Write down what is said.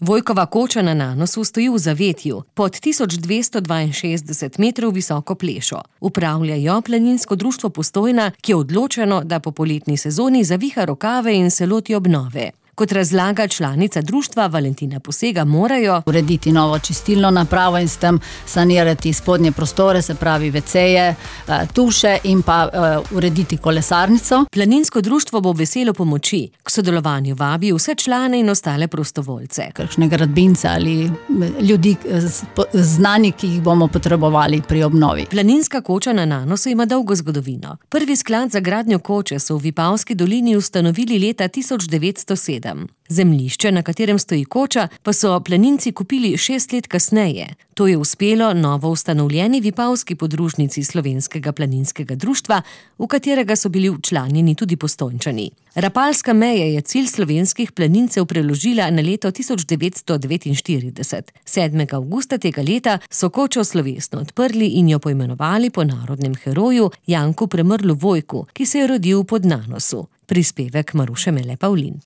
Vojkova koča na Nanosu stoji v zavetju, pod 1262 metrov visoko plešo. Upravlja jo Planinsko društvo Postojna, ki je odločeno, da po poletni sezoni zaviha rokave in se loti obnove. Kot razlaga članica društva Valentina Posega, morajo urediti novo čistilno napravo in s tem sanirati spodnje prostore, se pravi WC-je, tuše in pa urediti kolesarnico. Planinsko društvo bo veselo pomoči. K sodelovanju vabi vse člane in ostale prostovoljce. Kakšne gradbince ali ljudi znani, ki jih bomo potrebovali pri obnovi. Planinska koča na Nanosu ima dolgo zgodovino. Prvi sklad za gradnjo koče so v Vipavski dolini ustanovili leta 1907. Zemljišče, na katerem stoji koča, pa so planinci kupili 6 let kasneje. To je uspelo novo ustanovljeni Vipavski podružnici Slovenskega planinskega društva, v katerega so bili včlanjeni tudi Postojnčani. Rapalska meja je cilj slovenskih planincev preložila na leto 1949. 7. avgusta tega leta so kočo slovesno odprli in jo poimenovali po narodnem heroju Janku Premrlu Vojku, ki se je rodil pod Nanosu. Prispevek Maruše Mele Pavlin.